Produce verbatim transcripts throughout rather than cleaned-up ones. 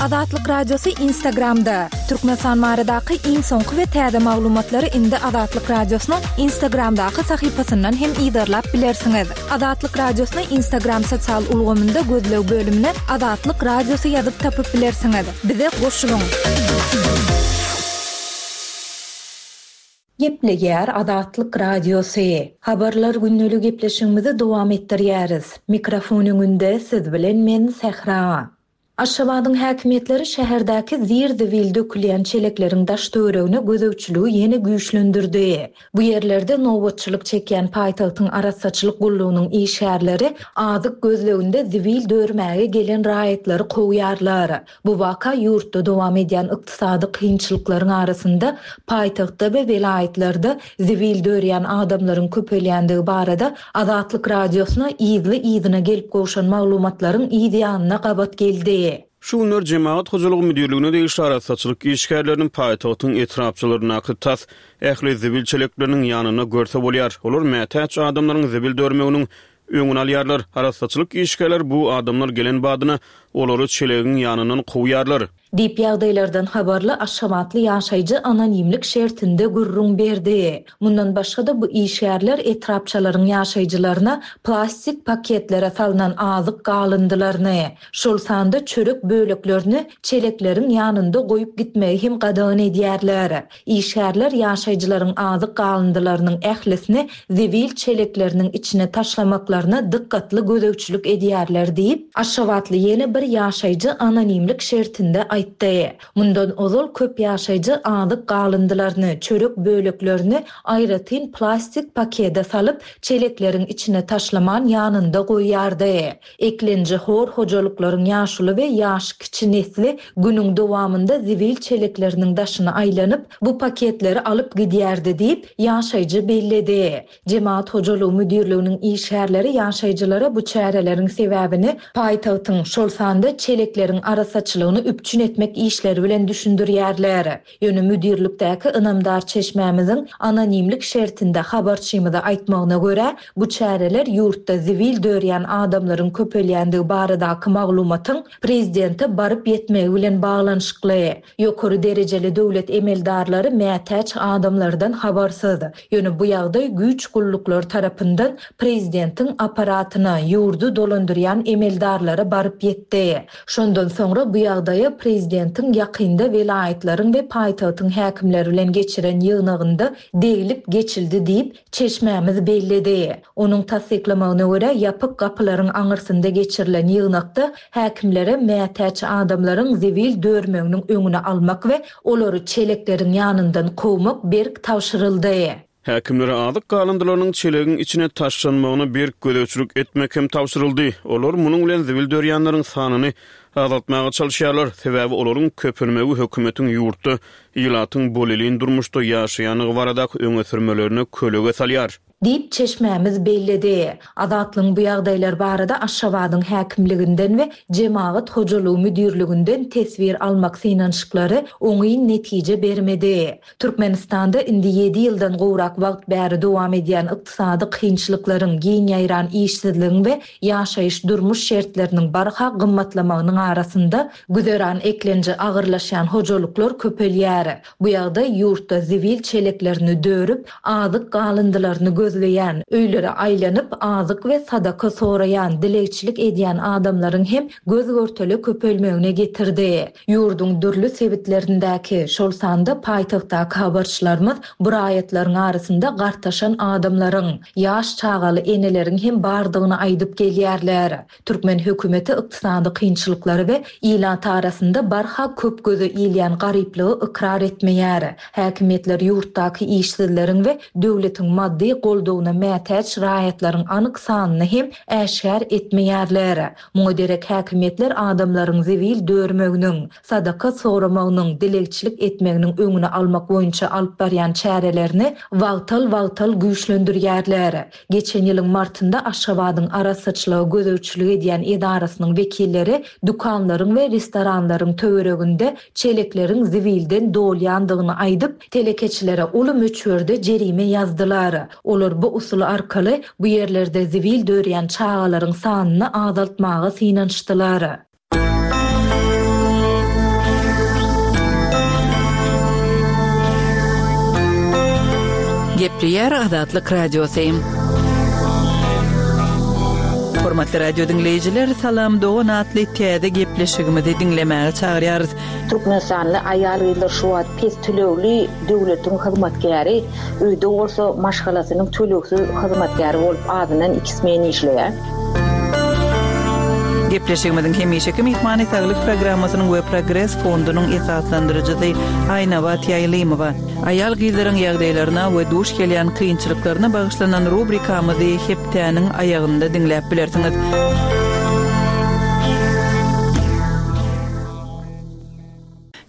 Azatlyk Radiosy Instagramda. Türkmenistan baradaky iň soňky we täze maglumatlary indi Azatlyk Radiosynyň Instagramdaky sahypasyndan hem yzarlap bilersiňiz. Azatlyk Radiosyny Instagram sosial ulgamynda gözleg bölümine Azatlyk Radiosy ýazyp tapyp bilersiňiz. Bize goşulyň. Gepleýär Azatlyk Radiosy. Habarlar gündelik gepleşigimizi dowam etdirýäris. Mikrofon öňünde siz bilen men Sähra. Aşgabadyň häkimiýetleri şäherdäki zir-zibil dökülýän çelekleriň daş töweregine gözegçiligi ýene güýçlendirdi. Bu ýerlerde nobatçylyk çekýän paýtagtyň arassaçylyk gullugynyň işgärleri azyk gözleginde zibil dörmäge gelen raýatlary kowýarlar. Bu waka ýurtda dowam edýän ykdysady kynçylyklaryň arasynda paýtagtda we welaýatlarda zibil dörýän adamlaryň köpelýändigi barada Azatlyk Radiosyna yzly-yzyna gelip gowşan maglumatlaryň yz ýanyna gabat geldi. Şu günler Jemagat hojalygy müdirligine degişli arassaçylyk işgärleriniň paýtagtyň etrapçalaryndaky tas ähli zibil çelekleriniň ýanynda görse bolýar. Olar mätäç adamlaryň zibil dörmeginiň öňüni alýarlar. Arassaçylyk işgärleri bu adamlar gelen badyna olary çelegiň ýanyndan kowýarlar. Diýip ýagdaýlardan habarly Aşgabatly ýaşaýjy anonimlik şertinde gürrüň berdi. Mundan başga-da bu işgärler etrapçalaryň ýaşaýjylaryna plastik paketlere salynan azyk galyndylaryny, şol sanda çörek böleklerini çelekleriň ýanynda goýup gitmegi hem gadagan edýärler. Işgärler ýaşaýjylaryň azyk galyndylarynyň ählisini zibil çelekleriniň içine taşlamaklaryna dikkatli gözegçilik edýärler diýip, Aşgabatly ýene bir ýaşaýjy anonimlik şertinde aýtdy. Mundan ozal köp ýaşaýjy azyk galyndylaryny, çörek böleklerini aýratyn plastik pakete salyp, çelekleriň içine taşlaman ýanynda goýýardy. Eklenji hor hojalyklaryň ýaşuly we ýaş kiçi nesli günüň dowamynda zibil çelekleriniň daşyna aýlanyp, bu paketleri alyp gidýärdi diýip, ýaşaýjy belledi. Jemaat hojalygy müdirliginiň işgärleri ýaşaýjylara bu çäreleriň sebäbini paýtagtyň şol sanda çelekleriň arassaçylygyny üpjün etmek işleri bilen düşündirýärler. Ýöne müdirlikdäki ynamdar çeşmämiziň anonimlik şertinde habarçymyza aýtmagyna görä, bu çäreler ýurtda zibil dörýän adamlaryň köpelýändigi baradaky maglumatyň prezidente baryp ýetmegi bilen baglanyşykly. Ýokary derejeli döwlet emeldarlary mätäç adamlardan habarsyz. Ýöne bu ýagdaý güýç gulluklar tarapyndan prezidentiň aparatyna, ýurdy dolandyrýan emeldarlara baryp ýetdi. Şondan soňra bu ýagdaýa prezidentiň ýakynda welaýatlaryň we paýtagtyň häkimleri bilen geçiren ýygnagynda degilip geçildi diýip, çeşmämiz belledi. Onuň tassyklamagyna görä, ýapyk gapylaryň aňyrsynda geçirilen ýygnakda häkimlere mätäç adamlaryň zibil dörmeginiň öňüni almak we olary çelekleriň ýanyndan kowmak berk tabşyryldy. Häkimlere azyk galyndylarynyň çelegiň içine taşlanmagyna berk gözegçilik etmek hem tabşyryldy. Olar munuň bilen zibil dörýänleriň sanyny azaltmaga çalışýarlar. Sebäbi olaryň köpelmegi hökümetiň ýurtda ilatyň bolelin durmuşda ýaşaýanlygy baradaky öňe sürmelerine kölege salýar. Diýip çeşmämiz belledi. Azatlygyň bu ýagdaýlar barada Aşgabadyň häkimliginden we Jemagat hojalygy müdirliginden teswir almak synanyşyklary oňyn netije bermedi. Türkmenistanda indi ýedi ýyldan gowrak wagt bäri dowam edýän ykdysady kynçylyklaryň, giň ýaýran işsizligiň we ýaşaýyş durmuş şertleriniň barha gymmatlamagynyň arasynda güzeran eklenji agyrlaşýan hojalyklar köpelýär. Bu ýagdaý ýurtda zibil çeleklerini dörüp, azyk galyndylaryny gözleýän, öýlere aýlanyp, azyk we sadaka soraýan, dilegçilik edýän adamlaryň hem göz görtele köpelmegine getirdi. Ýurduň dürli sebitlerindäki, şol sanda paýtagtdaky habarçylarymyz bu raýatlaryň arasynda gartaşan adamlaryň, ýaş çagaly eneleriň hem bardygyny aýdyp gelýärler. Türkmen hökümeti ykdysady kynçylyklary we ilat arasynda barha köp göze ilýän garyplygy ykrar etmeýär. Häkimiýetler ýurtdaky işsizleriň we döwletiň maddy goldawyna mätäç raýatlaryň anyk sanyny hem äşgär etmeýärler. Muňa derek häkimiýetler adamlaryň zibil dörmeginiň, sadaka soramagynyň, dilegçilik etmeginiň öňüni almak boýunça alyp barýan çärelerini wagtal-wagtal güýçlendirýärler. Geçen ýylyň martynda Aşgabadyň arassaçylyga gözegçilik edýän edarasynyň wekilleri dükanlaryň we restoranlaryň töwereginde çelekleriň zibilden dolýandygyny aýdyp, telekeçilere uly möçberde jerime ýazdylar. Olar bu usul arkaly bu ýerlerde zibil dörýän çagalaryň sanyny azaltmaga synanyşdylar. Gepleýär Azatlyk Radiosy. Hormatly radio diňleýjiler, Salam dogan atly täze gepleşigimizi diňlemäge çagyrýarys. Türkmenistanly aýal-gyzlar şu wagt pes tölegli döwletiň hyzmatkäri, öýde bolsa maşgalasynyň tölegsiz hyzmatkäri bolup azyndan iki smen işleýär. Gepleşigimiziň hemişeki myhmany Saglyk programmasynyň we Progres fondunyň esaslandyryjysy Aýnabat Ýaýlymowa. Aýal-gyzlaryň ýagdaýlaryna we duş gelýän kynçylyklaryna bagyşlanan rubrikamyzy hepdäniň aýagynda diňläp bilersiňiz.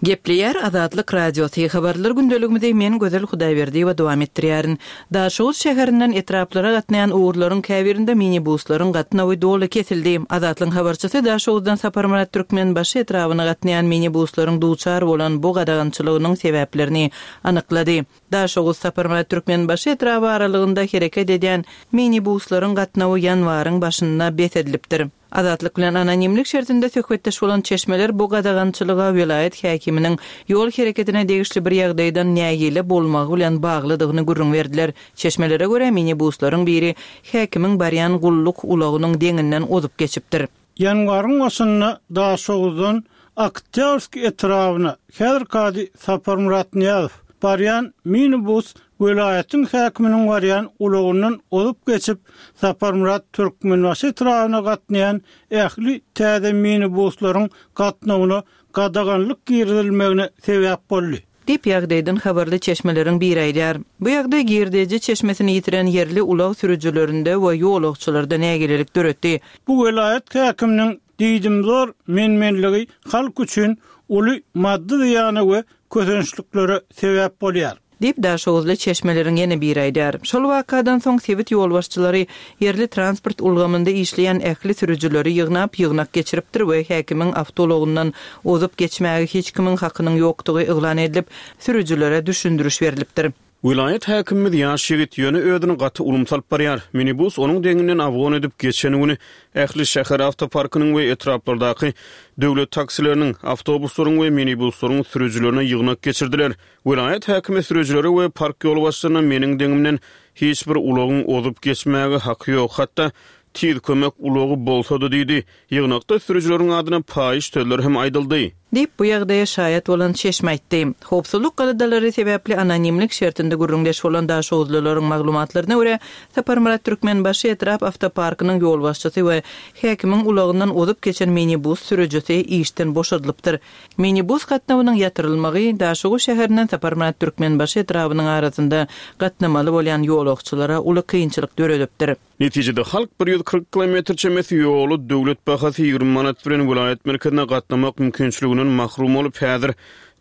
Gepleýär Azatlyk Radiosy. Habarlar gündeligimizi men Gözel Hudaýberdiýewa dowam etdirýärin. Daşoguz şäherinden etraplara gatnaýan ugurlaryň käbirinde minibuslaryň gatnawy doly kesildi. Azatlygyň habarçysy Daşoguzdan Saparmyrat Türkmenbaşy etrabyna gatnaýan minibuslaryň duçar bolan bu gadagançylygynyň sebäplerini anyklady. Daşoguz Saparmyrat Türkmenbaşy etraby aralygynda hereket edýän minibuslaryň gatnawy ýanwaryň başynda bes edilipdir. Azatlyk bilen anonimlik şertinde söhbetdeş bolan çeşmeler bu gadagançylyga welaýat häkiminiň ýol hereketine degişli bir ýagdaýdan nägile bolmagy bilen baglydygyny gürrüň berdiler. Çeşmelere görä minibuslaryň biri häkimiň barýan gulluk ulagynyň deňinden ozup geçipdir. Ýanwaryň başynda Daşoguzdan Oktýabrsk etrabyna häzirki ady Saparmyrat Nyýazow barýan minibus welaýatyň häkiminiň barýan ulagyndan ozup geçip, Saparmyrat Türkmenbaşy etrabyna gatnaýan ähli täze minibuslaryň gatnawyna gadaganlyk girizilmegine sebäp boldy. Diýip ýagdaýdan habarly çeşmeleriň biri aýdýar. Bu ýagdaý girdeji çeşmesini ýitiren ýerli ulag sürüjilerinde we ýolagçylarda nägilelik döretdi. Bu welaýat häkiminiň diýdimzor menmenligi halk üçin uly maddy zyýana we kösençliklere sebäp bolýar. Diýip Daşoguzly çeşmeleriň ýene biri aýdýar. Şol wakadan soň sebit ýolbaşçylary ýerli transport ulgamynda işleýän ähli sürüjileri ýygnap, ýygnak geçiripdir we häkimiň awtoulagyndan ozup geçmäge hiç kimiň hakynyň ýokdugy yglan edilip, sürüjilere düşündiriş berilipdir. Welaýat häkimimiz ýaş ýigit, ýöne özüni gaty ulumsy alyp barýar. Minibus onuň deňinden awgon edip geçen güni ähli şäher awtoparkynyň we etraplardaky döwlet taksileriniň, awtobuslaryň we minibuslaryň sürüjilerine ýygnak geçirdiler. Welaýat häkimi sürüjilere we park ýolbaşçylaryna meniň deňimden hiç bir ulagyň ozup geçmäge haky ýok, hatda tiz kömek ulagy bolsa-da diýdi. Ýygnakda sürüjileriň adyna paýyş sözler hem aýdyldy. Diýip bu ýagdaýa şaýat bolan çeşme aýtdy. Howpsuzlyk galadalary sebäpli anonimlik şertinde gürrüňdeş bolan Daşoguzlylaryň maglumatlaryna görä, Saparmyrat Türkmenbaşy etrap awtoparkynyň ýolbaşçysy we häkimiň ulagyndan ozup geçen minibus sürüjisi işden boşadylypdyr. Minibus gatnawynyň ýatyrylmagy Daşoguz şäherinden Saparmyrat Türkmenbaşy etrabynyň arasynda gatnamaly bolýan ýolagçylara uly kynçylyk döredipdir. Netijede halk bir ýüz kyrk kilometr çemesi ýoly döwlet bahasy ýigrimi manat bilen welaýat merkezine gatnamak mümkinçiliginden mahrum bolup, häzir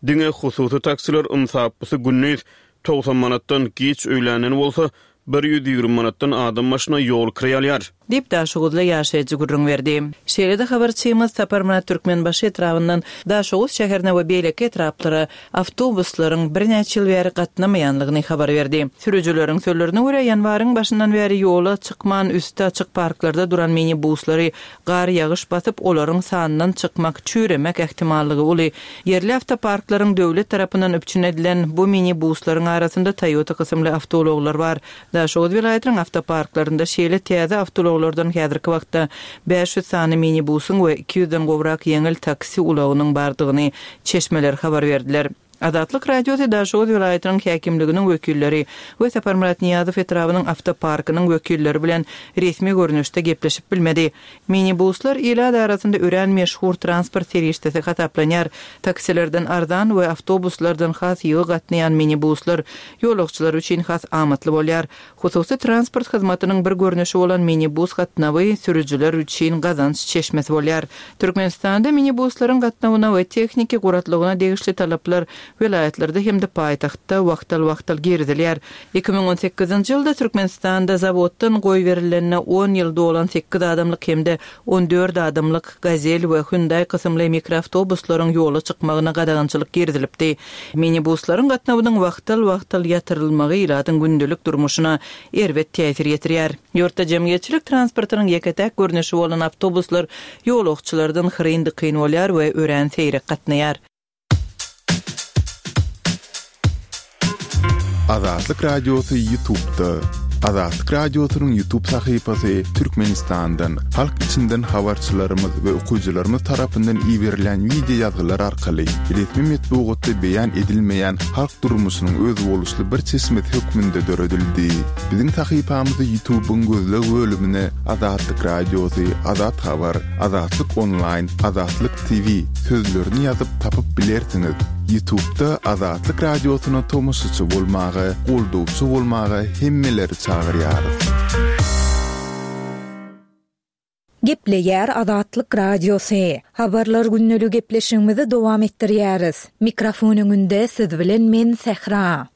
diňe hususy taksiler ynsapysy gündiz togsan manatdan giç öýländen bolsa bir ýüz ýigrimi manatdan adam başyna ýol kireý alýar. Diýip Daşoguzly ýaşaýjy gürrüň berdi. Şeýle-de habarçymyz Saparmyrat Türkmenbaşy etrabyndan Daşoguz şäherine we beýleki etraplara awtobuslaryň birnäçe ýyl bäri gatnamaýanlygyny habar berdi. Sürüjileriň sözlerine görä, ýanwaryň başyndan bäri ýola çykman üsti açyk parklarda duran minibuslary gar ýagyş basyp, olaryň sanyndan çykmak, çüýremek ähtimallygy uly. Ýerli awtoparklaryň döwlet tarapyndan üpjün edilen bu minibuslaryň arasynda Toyota kysymly awtoulaglar bar. Daşoguz welaýatynyň awtoparklarynda şeýle täze awtoulaglardan häzirki wagtda bäş ýüz sany minibusyň we iki ýüzden gowrak ýeňil taksi ulagynyň bardygyny çeşmeler habar berdiler. Azatlyk Radiosy Daşoguz welaýatynyň häkimliginiň wekilleri we Saparmyrat Nyýazow etrabynyň awtoparkynyň wekilleri bilen resmi görnüşde gepleşip bilmedi. Minibuslar ilat arasynda örän meşhur transport serişdesi hasaplanýar. Taksilerden arzan we awtobuslardan has ýygy gatnaýan minibuslar ýolagçylar üçin has amatly bolýar. Hususy transport hyzmatynyň bir görnüşi bolan minibus gatnawy sürüjiler üçin gazanç çeşmesi bolýar. Türkmenistanda minibuslaryň gatnawyna we tehniki guratlygyna degişli talaplar welaýatlarda hem-de paýtagtda wagtal-wagtal girizilýär. Iki müň on sekizinji ýylda Türkmenistanda zawoddan goýberilenine on ýyl dolan sekiz adamlyk hem-de on dört adamlyk Gazel we Hyundai kysymly mikroawtobuslaryň ýola çykmagyna gadagançylyk girizilipdi. Minibuslaryň gatnawynyň wagtal-wagtal ýatyrylmagy ilatyň gündelik durmuşyna erbet täsir ýetirýär. Ýurtda jemgyýetçilik transportynyň ýeke-täk görnüşi bolan awtobuslar ýolagçylardan hyryn-dykyn bolýar we örän seýrek gatnaýar. Azatlyk Radiosy YouTube'da. Azatlyk Radiosynyň YouTube sahypasy Türkmenistandan, halk içinden habarçylarymyz we okyjylarymyz tarapyndan iberilen wideo ýazgylar arkaly resmi metbugatda beýan edilmeýän halk durmuşynyň özboluşly bir çeşmesi hökmünde döredildi. Biziň sahypamyzy YouTube'yň gözleg bölümine Azatlyk Radiosy, Azat Habar, Azatlyk Online, Azatlyk T V sözlerini ýazyp tapyp bilersiňiz. YouTube'da Azatlyk Radiosyna tomaşaçy bolmaga, goldawçy bolmaga hemmeleri çagyrýarys. Gepleýär Azatlyk Radiosy. Habarlar günlügi gepleşigimizi dowam etdirýäris. Mikrofon öňünde siz bilen men Sähra.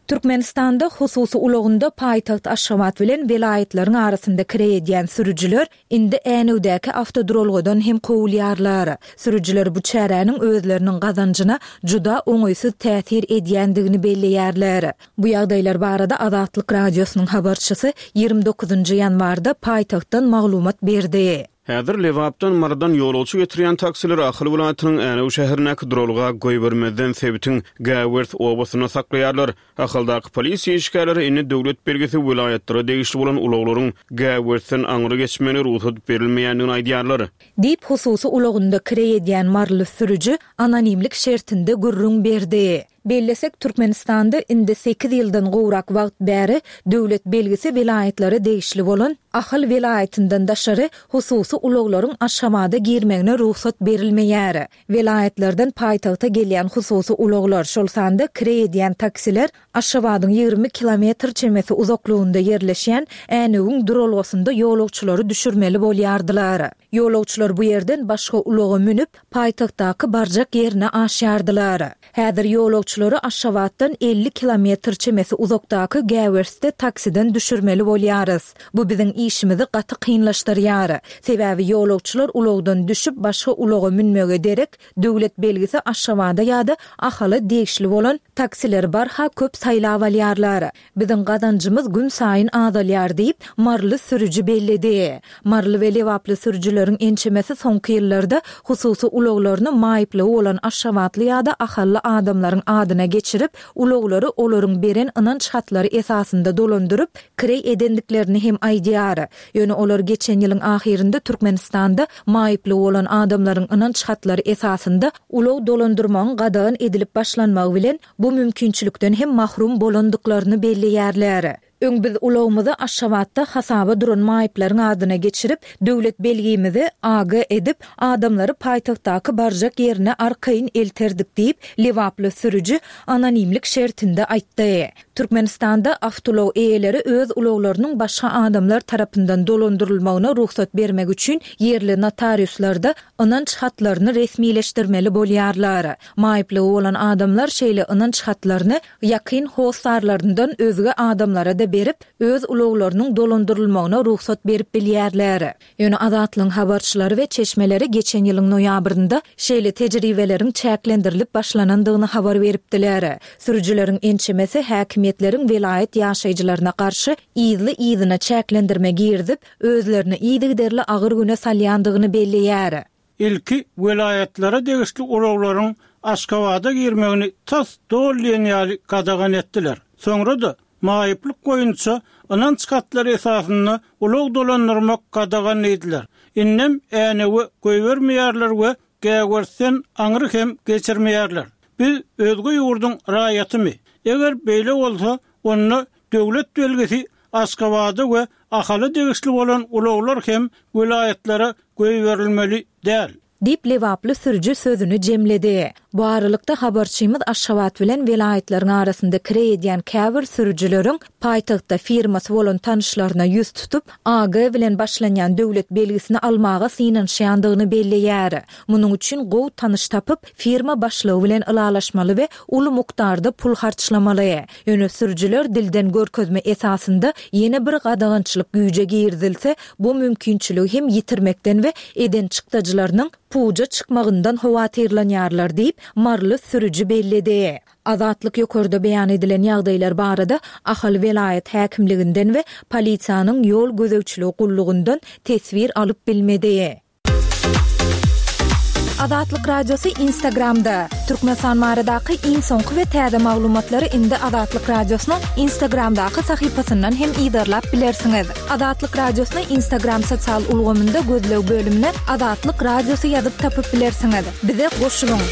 Türkmenistanda hususy ulagynda paýtagt Aşgabat bilen welaýatlaryň arasynda kireý edýän sürüjiler indi Änewdäki awtoduralgadan hem kowulýarlar. Sürüjiler bu çäräniň özleriniň gazanjyna juda oňaýsyz täsir edýändigini belleýärler. Bu ýagdaýlar barada Azatlyk Radiosynyň habarçysy ýigrimi dokuzynjy ýanwarda paýtagtdan maglumat berdi. Häzir Lebapdan Marydan ýolagçy getirýän taksiler Ahal welaýatynyň Änew şäherindäki duralga goýbermezden sebitiň Gäwers obasynda saklaýarlar. Ahaldaky polisiýa işgärleri indi döwlet belgisi welaýatlara degişli bolan ulaglaryň Gäwersden aňry geçmegine rugsat berilmeýändigini aýdýarlar. Diýip hususy ulagynda kireý edýän maryly sürüji anonimlik şertinde gürrüň berdi. Bellesek Türkmenistanda indi sekiz ýyldan gowrak wagt bäri döwlet belgisi welaýatlara degişli bolan Ahal welaýatyndan daşary hususy ulaglaryň Aşgabada girmegine rugsat berilmeýär. Welaýatlardan paýtagta gelýän hususy ulaglar, şol sanda kireý edýän taksiler Aşgabadyň ýigrimi kilometr çemesi uzaklygynda ýerleşýän Änewiň duralgasynda ýolagçylary düşürmeli bolýardylar. Ýolagçylar bu ýerden başga ulaga münüp, paýtagtdaky barjak ýerine aşýardylar. Häzir ýolagçylary Aşgabatdan elli kilometr çemesi uzakdaky Gäwersde taksiden düşürmeli bolýarys. Bu biziň işimizi gaty kynlaşdyrýar. Sebäbi ýolagçylar ulagdan düşüp başga ulaga münmege derek döwlet belgisi Aşgabada ýa-da Ahala degişli bolan taksileri barha köp saýlap alýarlar. Biziň gazanjymyz gün saýyn azalýar diýip Maryly sürüji belledi. Maryly we Lebaply sürüjileriň ençemesi soňky ýyllarda hususy ulaglaryny maýyplygy bolan Aşgabatly ýa-da Ahally adamlaryň adyna geçirip, ulaglary olaryň beren ynanç hatlary esasynda dolandyryp, kireý edendiklerini hem aýdýar. Ýöne olar geçen ýylyň ahyrynda Türkmenistanda maýyplygy bolan adamlaryň ynanç hatlary esasynda ulag dolandyrmagyň gadagan edilip başlanmagy bilen bu mümkinçilikden hem mahrum bolandyklaryny belleýärler. Öň biz ulagymyzy Aşgabatda hasaba duran maýyplaryň adyna geçirip, döwlet belgimizi A G edip, adamlary paýtagtdaky barjak ýerine arkaýyn elterdik diýip, Lebaply sürüji anonimlik şertinde aýtdy. Türkmenistanda awtoulag eýeleri öz ulaglarynyň başga adamlar tarapyndan dolandyrylmagyna rugsat bermek üçin ýerli notariuslarda ynanç hatlaryny resmileşdirmeli bolýarlar. Maýyplygy bolan adamlar şeýle ynanç hatlaryny ýakyn hossarlaryndan özge adamlara da berip, öz ulaglarynyň dolandyrylmagyna rugsat berip bilýärler. Ýöne Azatlygyň habarçylary we çeşmeleri geçen ýylyň noýabrynda şeýle tejribeleriň çäklendirilip başlanandygyny habar beripdiler. Sürüjileriň ençemesi häkimiýetleriň welaýat ýaşaýjylaryna garşy yzly-yzyna çäklendirme girizip, özlerini yzygiderli agyr güne salýandygyny belleýär. Ilki welaýatlara degişli ulaglaryň Aşgabada girmegini tas doly diýen ýaly gadagan etdiler. Soňra da maýyplyk boýunça ynanç hatlary esasynda ulag dolandyrmak gadagan ediler. Innem Änewe goýbermeýärler we Gäwersden aňry hem geçirmeýärler. Biz özge ýurduň raýatymy? Eger beýle bolsa, onda döwlet belgisi Aşgabada we Ahala degişli bolan ulaglar hem welaýatlara goýberilmeli däl. Diýip Lebaply sürüji sözüni jemledi. Bu aralykda habarçymyz Aşgabat bilen welaýatlaryň arasynda kireý edýän käbir sürüjileriň paýtagtda firmasy bolan tanyşlaryna ýüz tutup, A G bilen başlanýan döwlet belgisini almaga synanyşýandygyny belleýär. Munuň üçin gowy tanyş tapyp, firma başlygy bilen ylalaşmaly we uly mukdarda pul harçlamaly. Ýöne sürüjiler dilden görkezme esasynda ýene bir gadagançylyk güýje girizilse, bu mümkinçiligi hem ýitirmekden we eden çykdajylarynyň puja çykmagyndan howatyrlanýarlar diýip Maryly sürüji belledi. Azatlyk ýokarda beýan edilen ýagdaýlar barada Ahal welaýat häkimliginden we polisiýanyň ýol gözegçiligi gullugyndan teswir alyp bilmedi. Azatlyk Radiosy Instagramda. Türkmenistan baradaky iň soňky we täze maglumatlary indi Azatlyk Radiosynyň Instagramdaky sahypasyndan hem yzarlap bilersiňiz. Azatlyk Radiosyny Instagram sosial ulgamynda gözleg bölümine Azatlyk Radiosy ýazyp tapyp bilersiňiz. Bize goşulyň.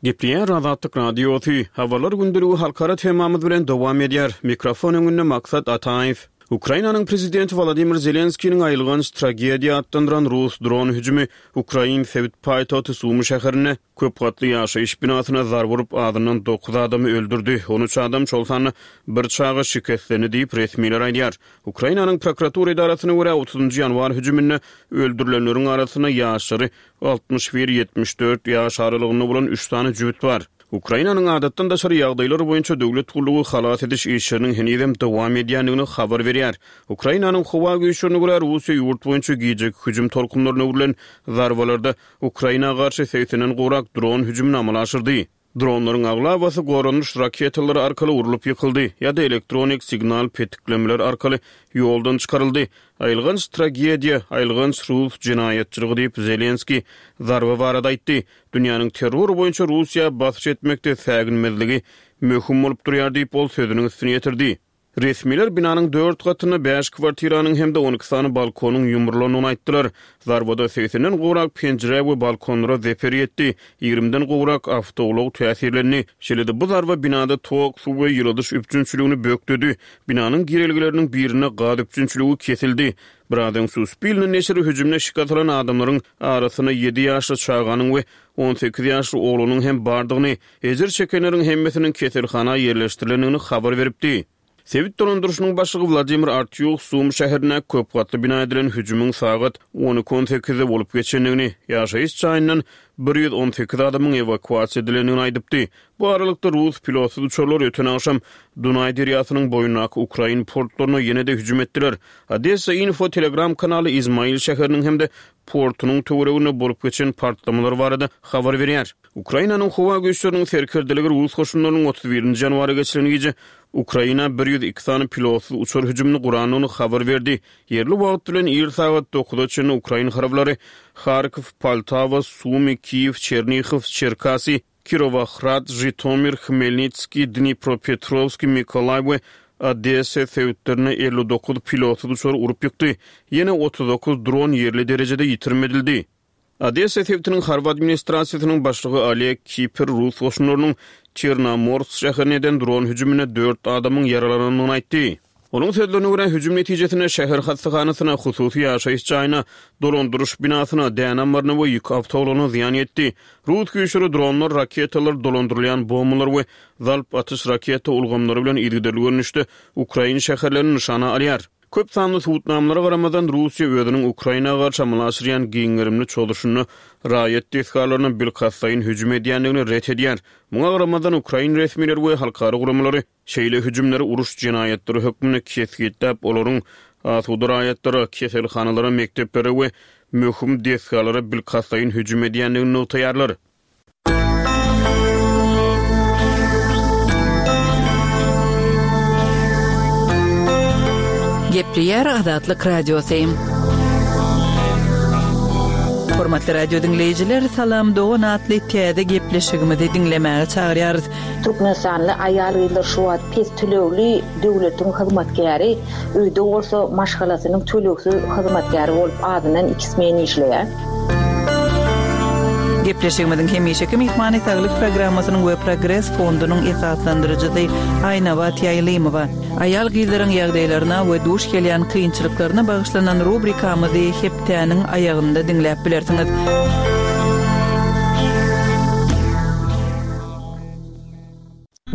Gepleýär Azatlyk Radiosy. Habarlar gündeligi halkara temamyz bilen dowam edýär. Mikrofon öňünde Maksat Ataýew. Ukrainanyň prezidenti Wolodymyr Zelenskiniň aýylganç tragediýa atlandyran rus dron hüjümi ukrain sebit paýtagty Sumy şäherinde köp gatly ýaşaýyş binasyna zarba urup, azyndan dokuz adamy öldürdi, on üç adam, şol sanda bir çaga şikeslendi diýip, resmiler aýdýar. Ukrainanyň prokuratura edarasyna görä, otuzynjy ýanwar hüjüminde öldürilenleriň arasynda ýaşlary altmyş bir, ýetmiş dört ýaş aralygynda bolan üç sany jübüt bar. Ukrainanyň adatdan daşary ýagdaýlar boýunça döwlet gullugy halas ediş işleriniň henizem dowam edýändigini habar berýär. Ukrainanyň howa güýçlerine görä, Russiýa ýurt boýunça gijeki hüjüm tolkunlaryna öwrülen zarbalarda Ukraina garşy segsenden gowrak dron hüjümini amala aşyrdy. Dronlaryň aglabasy goranyş raketalary arkaly urlup ýykyldy ýa-da elektronik signal petiklemeler arkaly ýoldan çykaryldy. Aýylganç tragediýa, aýylganç rus jenaýatçylygy diýip, Zelenskiý zarba barada aýtdy. Dünýäniň terror boýunça Russiýa basyş etmekde säginmezligi möhüm bolup durýar diýip, ol sözüniň üstüni ýetirdi. Resmiler binanyň dört gatynda bäş kwartiranyň hem-de on iki sany balkonyň ýumrulandygyny aýtdylar. Zarbada segsenden gowrak penjirä we balkonlara zeper ýetdi, ýigrimiden gowrak awtoulag täsirlendi. Şeýle-de bu zarba binada tok, suw we ýyladyş üpjünçiligini bökdedi. Binanyň girelgeleriniň birinde gaz üpjünçiligi kesildi. Biraz öň Suspilne neşiri hüjümde şikes alan adamlaryň arasynda ýedi ýaşly çaganyň we on sekiz ýaşly oglanyň hem bardygyny, ejir çekenleriň hemmesiniň keselhana ýerleşdirilendigini habar beripdi. Sebit dolandyryşynyň başlygy Wladimir Artýuh Sum şäherine köp gatly bina edilen hüjümiň sagat on iki on sekizde bolup geçendigini, ýaşaýyş jaýyndan bir ýüz on sekiz adamyň ewakuasiýa edilendigini aýdypdy. Bu aralykda rus pilotsyz uçarlar öten agşam Dunaý derýasynyň boýundaky ukrain portlaryna ýene-de hüjüm etdiler. Odessa Info Telegram kanaly Izmail şäheriniň hem-de portunyň töwereginde bolup geçen partlamalar barada habar berýär. Ukrainanyň howa güýçleriniň serkerdeligi rus goşunlarynyň otuz birinji ýanwara geçilen gije Ukraina bir ýüz iki sany pilotsyz uçar hüjümini gurandygyny habar berdi. Ýerli wagt bilen ir sagat dokuza çenli ukrain harbylary Harkow, Poltawa, Sumy, Kiýew, Çernihow, Çerkasy, Kirowohrad, Žitomir, Hmelnitskiý, Dnipropetrovskiý, Mikolaý we Odessa sebitlerine elli dokuz pilotsyz uçar urup ýykdy. Ýene otuz dokuz dron ýerli derejede ýitirim edildi. Odessa sebitiniň harby administrasiýasynyň başlygy Oleg Kiper rus goşunlarynyň Çernomorsk şäherine eden dron hüjüminde dört adamyň ýaralanandygyny aýtdy. Onuň sözlerine görä, hüjüm netijesinde şäher hassahanasyna, hususy ýaşaýyş jaýyna, dolandyryş binasyna, däne ammaryna we ýük awtoulagyna zyýan ýetdi. Rus güýçleri dronlar, raketalar, dolandyrylýan bombalar we zalp atyş raketa ulgamlary bilen yzygiderli görnüşde ukrain şäherlerini nyşana alýar. Köp sanly subutnamalara garamazdan Russiýa özüniň Ukraina garşy amala aşyrýan giň gerimli çozuşynda raýat desgalaryna bilkastlaýyn hüjüm edýändigini ret edýär. Muňa garamazdan ukrain resmileri we halkara guramalary şeýle hüjümleri uruş jenaýatlary hökmünde kesgitläp, olaryň asuda raýatlara, keselhanalara, mekdeplere we möhüm desgalara bilkastlaýyn hüjüm edýändigini nygtaýarlar. Gepleýär Azatlyk Radiosy. Hormatly radio diňleýjiler, Salam Dogan atly täze gepleşigimizi diňlemäge çagyrýarys. Türkmenistanly aýal-gyzlar şu wagt pes tölegli döwletiň hyzmatkäri, öýde bolsa maşgalasynyň tölegsiz hyzmatkäri bolup azyndan iki smen işleýär. Gepleşigimiziň hemişeki myhmany saglyk programmasynyň we Progres fondunyň esaslandyryjysy Aýnabat Ýaýlymowa. Aýal gyzlaryň ýagdaýlaryna we duş gelýän kynçylyklaryna bagyşlanan rubrikamyzy hepdäniň aýagynda diňläp bilersiňiz.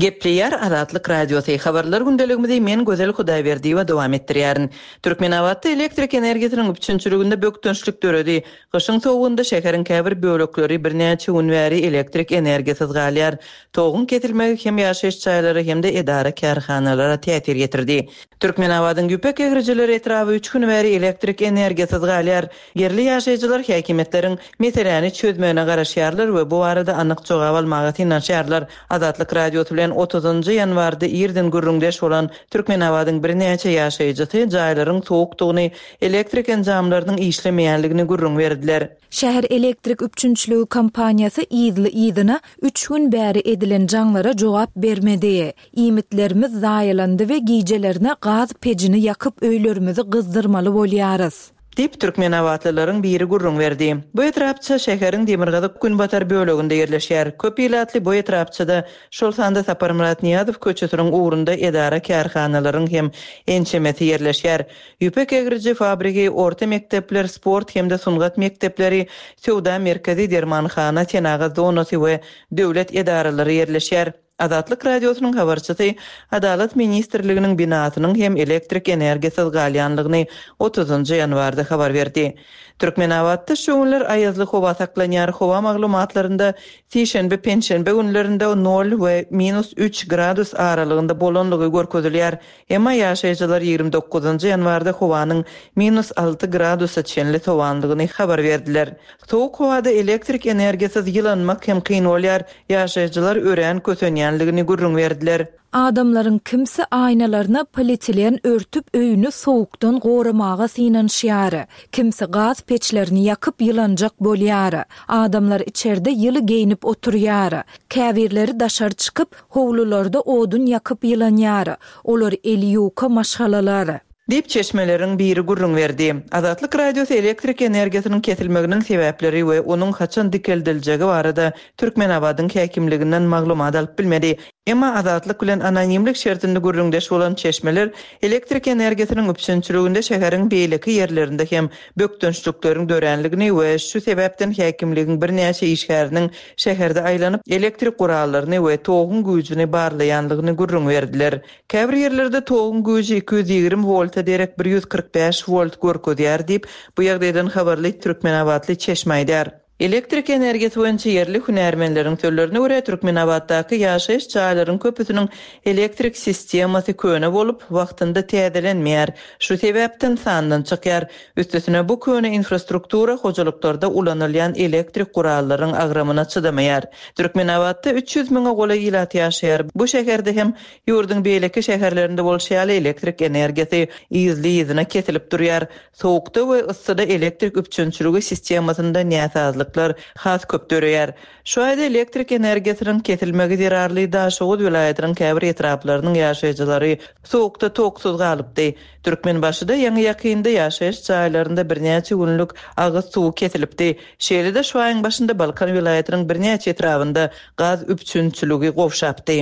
Gepleýär Azatlyk Radiosy. Habarlar gündeligimizi men Gözel Hudaýberdiýewa dowam etdirýärin. Türkmenabatda elektrik energiýasynyň üpjünçiliginde bökdençlik döredi. Gyşyň sowugynda şäheriň käbir bölekleri birnäçe gün bäri elektrik energiýasyz galýar. Toguň kesilmegi hem ýaşaýyş jaýlary hem-de edara kärhanalara täsir ýetirdi. Türkmenabadyň ýüpek egrijileri etrabı üç gün bäri elektrik energiýasyz galýar. Ýerli ýaşaýjylar häkimiýetleriň meseläni çözmegine garaşýarlar we bu arada anyk jogap almaga synanyşýarlar. Azatlyk Radiosy bilen bilen otuzynjy ýanwarda irden gürrüňdeş bolan Türkmenabadyň birnäçe ýaşaýjysy jaýlaryň sowukdygyny, elektrik enjamlarynyň işlemeýänligini gürrüň berdiler. Şäher elektrik üpjünçiligi kompaniýasy yzly-yzyna üç gün bäri edilen jaňlara jogap bermedi. Iýmitlerimiz zaýalandy we gijelerine gaz pejini ýakyp öýlerimizi gyzdyrmaly bolýarys. Diýip, türkmenabatlylaryň biri gürrüň berdi. Bu etrapça şäheriň demirgazyk günbatar böleginde ýerleşýär. Köp ilatly bu etrapçada, şol sanda Saparmyrat Nyýazow köçesiniň ugrunda edara-kärhanalaryň hem ençemesi ýerleşýär. Ýüpek egriji fabrigi, orta mekdepler, sport hem-de sungat mekdepleri, söwda merkezi, dermanhana, senagat zonasy we döwlet edaralary ýerleşýär. Azatlyk Radiosynyň habarçysy Adalat ministrliginiň binasynyň hem elektrik energiýasyz galýanlygyny otuzynjy ýanwarda habar berdi. Türkmenabatda şu günler aýazly howa saklanýar. Howa maglumatlarynda sişenbe, penşenbe günlerinde nol we minus üç gradus aralygynda bolanlygy görkezilýär. Emma ýaşaýjylar ýigrimi dokuzynjy ýanwarda howanyň minus alty gradusa çenli sowanlygyny habar berdiler. Sowuk howada elektrik energiýasyz ýylanmak hem kyn bolýar. Ýaşaýjylar örän kösenýänligini gürrüň berdiler. Adamlaryň kimsi aýnalaryna polietilen örtüp öýüni sowukdan goramaga synanyşýar. Kimsi gaz peçlerini ýakyp ýylanjak bolýar. Adamlar içerde ýyly geýnip oturýar. Käbirleri daşary çykyp, howlularda odun ýakyp ýylanýar. Olar eli ýuka maşgalalar. Diýip çeşmeleriň biri gürrüň berdi. Azatlyk Radiosy elektrik energiýasynyň kesilmeginiň sebäpleri we onuň haçan dikeldiljegi barada Türkmenabadyň häkimliginden maglumat alyp bilmedi. Emma Azatlyk bilen anonimlik şertinde gürrüňdeş bolan çeşmeler elektrik energiýasynyň üpjünçiliginde şäheriň beýleki ýerlerinde hem bökdençlikleriň döränligini we şu sebäpden häkimligiň birnäçe işgäriniň şäherde aýlanyp elektrik gurallaryny we toguň güýjüni barlaýanlygyny gürrüň berdiler. Käbir ýerlerde toguň güýji iki ýüz ýigrimi wolta derek bir ýüz kyrk bäş volt görkezýär diýip, bu ýagdaýdan habarly Türkmenabatly çeşme aýdar. Elektrik energiýasy boýunça ýerli hünärmenleriň sözlerine görä Türkmenabatdaky ýaşaýyş jaýlaryň köpüsiniň elektrik sistemasy köne bolup, wagtynda täzelenmeýär. Şu sebäpden sandan çykýar. Üstesine bu köne infrastruktura hojalyklarda ulanylýan elektrik gurallaryň agramyna çydamaýar. Türkmenabatda üç ýüz müňe golaý ilat ýaşaýar. Bu şäherde hem ýurduň beýleki şäherlerinde bolşy ýaly elektrik energiýasy yzly-yzyna kesilip durýar. Sowukda we yssyda elektrik üpjünçiligi sistemasynda näsazlyklar has köp döreýär. Şu aýda elektrik energiýasynyň kesilmegi zerarly Daşoguz welaýatynyň käbir etraplarynyň ýaşaýjylary sowukda toksuz galypdy. Türkmenbaşyda ýaňy ýakynda ýaşaýyş jaýlarynda birnäçe günlük agyz suwy kesilipdi. Şeýle-de şu aýyň başynda Balkan welaýatynyň birnäçe etrabynda gaz üpjünçiligi gowşapdy.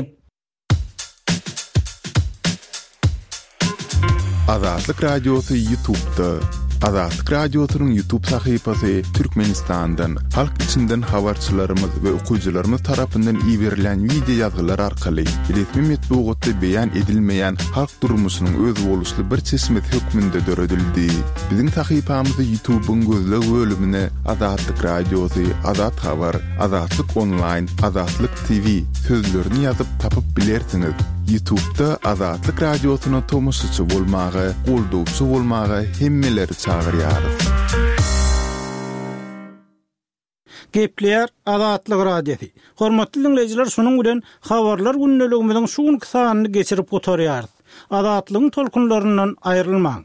Azatlyk Radiosy YouTube'da. Azatlyk Radiosynyň YouTube sahypasy Türkmenistandan, halk içinden habarçylarymyz we okyjylarymyz tarapyndan iberilen video ýazgylar arkaly resmi metbugatda beýan edilmeýän halk durmuşynyň özboluşly bir çeşmesi hökmünde döredildi. Biziň sahypamyzy YouTube'yň gözleg bölümine Azatlyk Radiosy, Azat Habar, Azatlyk Online, Azatlyk T V sözlerini ýazyp tapyp bilersiňiz. YouTube'da Azatlyk Radiosyna tomaşaçy bolmaga, goldawçy bolmaga hemmeleri çagyrýarys. Gepleýär Azatlyk Radiosy. Hormatly dinleýjiler, şunuň bilen habarlar gündeligimiziň şu günki sanyny geçirip gutarýarys. Azatlygyň tolkunlaryndan aýrylmaň.